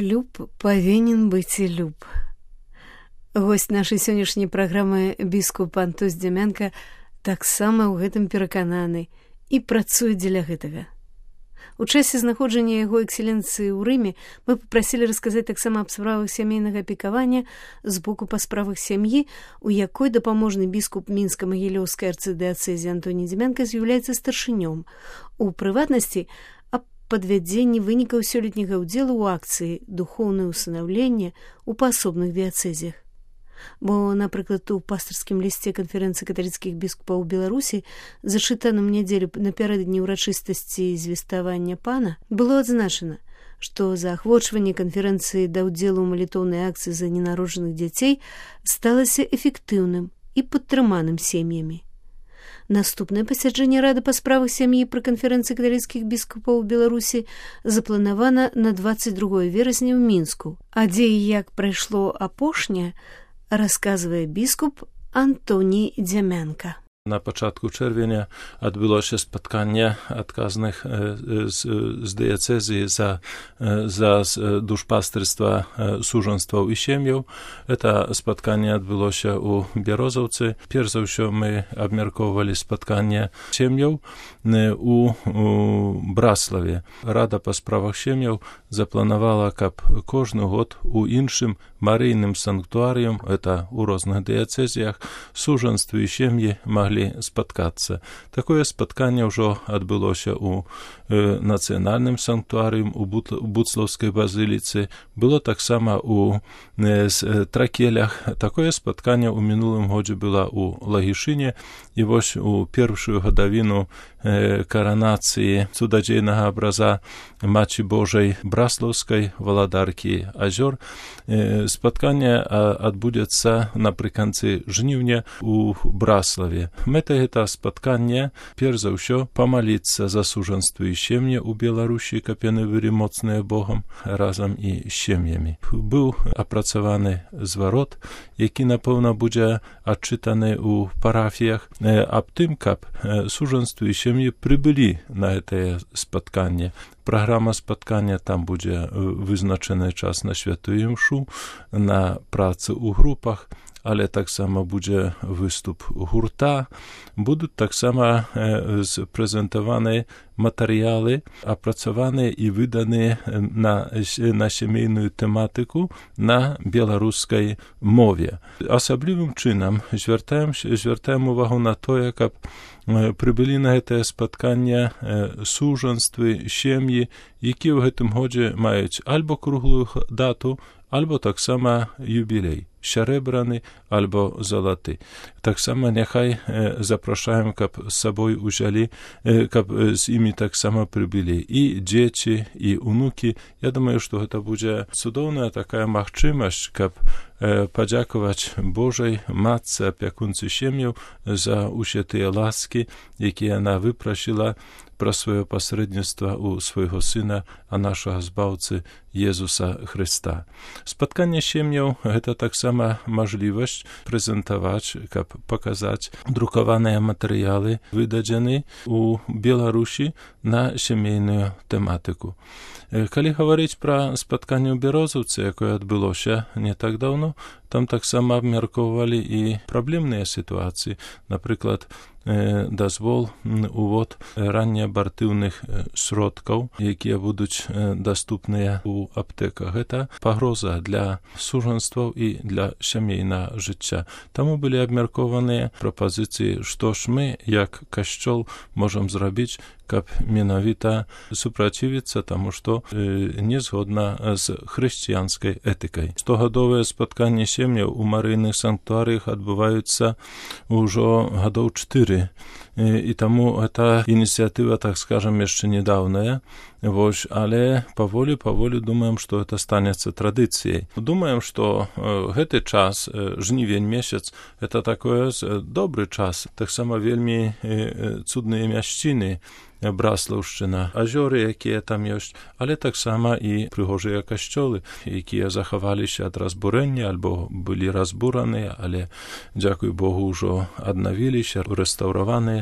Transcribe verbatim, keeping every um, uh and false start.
Шлюб павінен быць і люб. Госць нашай сённяшняй праграмы біскуп Антос Дзямянка таксама ў гэтым перакананы і працуе дзеля гэтага. У часе знаходжання яго экселенцыі ў Рыме мы папрасілі расказаць таксама аб справах сямейнага апекавання з боку па справах сям'і, у якой дапаможны біскуп Мінска-Магілёўскай арцыдыяцэзі Антоній Дзямянка з'яўляецца старшынём. У прыватнасці, аб падвядзенні вынікаў сёлетняга ўдзелу ў акцыі «Духоўнае ўсынаўленне» у паасобных дыяцэзіях. Бо, напрыклад, у пастырскім лісце канферэнцыі каталіцкіх біскупаў Беларусі, зачытаным нядзелю напярэдадні ўрачыстасці звеставання пана, было адзначана, што заахвочванне канферэнцыі да ўдзелу ў малітоўнай акцыі за ненароджаных дзяцей сталася эфектыўным і падтрыманым сем'ямі. Наступнае пасяджэнне рады па справах сям'і пры канферэнцыі каталіцкіх біскупаў Беларусі запланавана на дваццаць другое верасня ў Мінску, а дзе і як прайшло апошняе, расказвае біскуп Антоній Дзямянка. На пачатку чэрвеня адбылося спатканне адказных з, з дыяцэзіі за, за душпастырства сужанстваў і сем'яў. Это спатканне адбылося ў Бярозаўцы. Перш за ўсё мы абмяркоўвалі спатканне сем'яў у, у Браславе. Рада па справах сем'яў запланавала, каб кожны год у іншым марыйным санктуарыум, это ў розных дыяцэзіях, сужанствы і сем'і маглі спаткацца. Такое спатканне ўжо адбылося ў э, нацыянальным санктуарыум у Буцлаўскай базыліцы, было таксама у э, Тракелях. Такое спатканне ў мінулым годзе было ў Лагішыне, і вось у першую гадавіну э, каранацыі цудадзейнага абраза Маці Божай Браслаўскай, валадаркі азёр, э, спатканне адбудзецца напрыканцы жніўня у Браславе. Мэта гэта спатканне, перш за ўсё, памаліцца за сужанствы і сем'і ў Беларусі, каб яны былі моцныя Богам разам і з сем'ямі. Быў апрацаваны зварот, які, напэўна, будзе адчытаны ў парафіях, аб тым, каб сужанствы і сем'і прыбылі на гэтае спатканне. Праграма спаткання, там будзе вызначаны час на святую імшу, на працы ў групах, але таксама будзе выступ гурта, будуць таксама э, прэзентаваны матэрыялы, апрацаваныя і выданыя на, на сямейную тэматыку на беларускай мове. Асаблівым чынам звяртаем, звяртаем увагу на тое, каб прыбылі на гэтае спатканне сужанствы, сем'і, якія ў гэтым годзе маюць альбо круглую дату, альбо таксама юбілей, сярэбраны альбо залаты. Таксама няхай э, запрашаем, каб з сабой узялі, э, каб з імі таксама прыбылі і дзеці, і унукі. Я думаю, што гэта будзе цудоўная такая магчымасць, каб э, падзякаваць Божай матцы, апякунцы сем'яў за ўсе тыя ласкі, якія яна выпрасіла пра сваё пасрэдніцтва ў свайго сына, а нашага збаўцы Езуса Хрыста. Спатканне сем'яў — гэта таксама мажлівасць прэзентаваць, каб паказаць друкаваныя матэрыялы, выдадзены ў Беларусі на сямейную тэматыку. Калі гаварыць пра спатканне ў Бярозаўцы, якое адбылося не так даўно, там таксама абмяркоўвалі і праблемныя сітуацыі, напрыклад, дазвол увод раннеабартыўных сродкаў, якія будуць даступныя ў аптэках. Гэта пагроза для сужанстваў і для сямейнага жыцця. Таму былі абмяркованыя прапазіцыі, што ж мы, як касцёл, можам зрабіць, каб менавіта супрацівіцца таму, што э, не згодна з хрысціянскай этыкай. Штогадовыя спатканні сем'яў у марыйных санктуарыях адбываюцца ўжо гадоў чатыры. І таму гэта ініцыятыва, так скажам, яшчэ недаўная. Вось, але паволі, паволі думаем, што гэта станецца традыцыяй. Думаем, што э, гэты час, э, жнівень месяц, это такое э, добры час. Таксама вельмі э, цудныя мясціны, Браслаўшчына, азёры, якія там ёсць, але таксама і прыгожыя касцёлы, якія захаваліся ад разбурэння альбо былі разбураныя, але, дзякуй Богу, ўжо аднавіліся, рэстаўраваныя.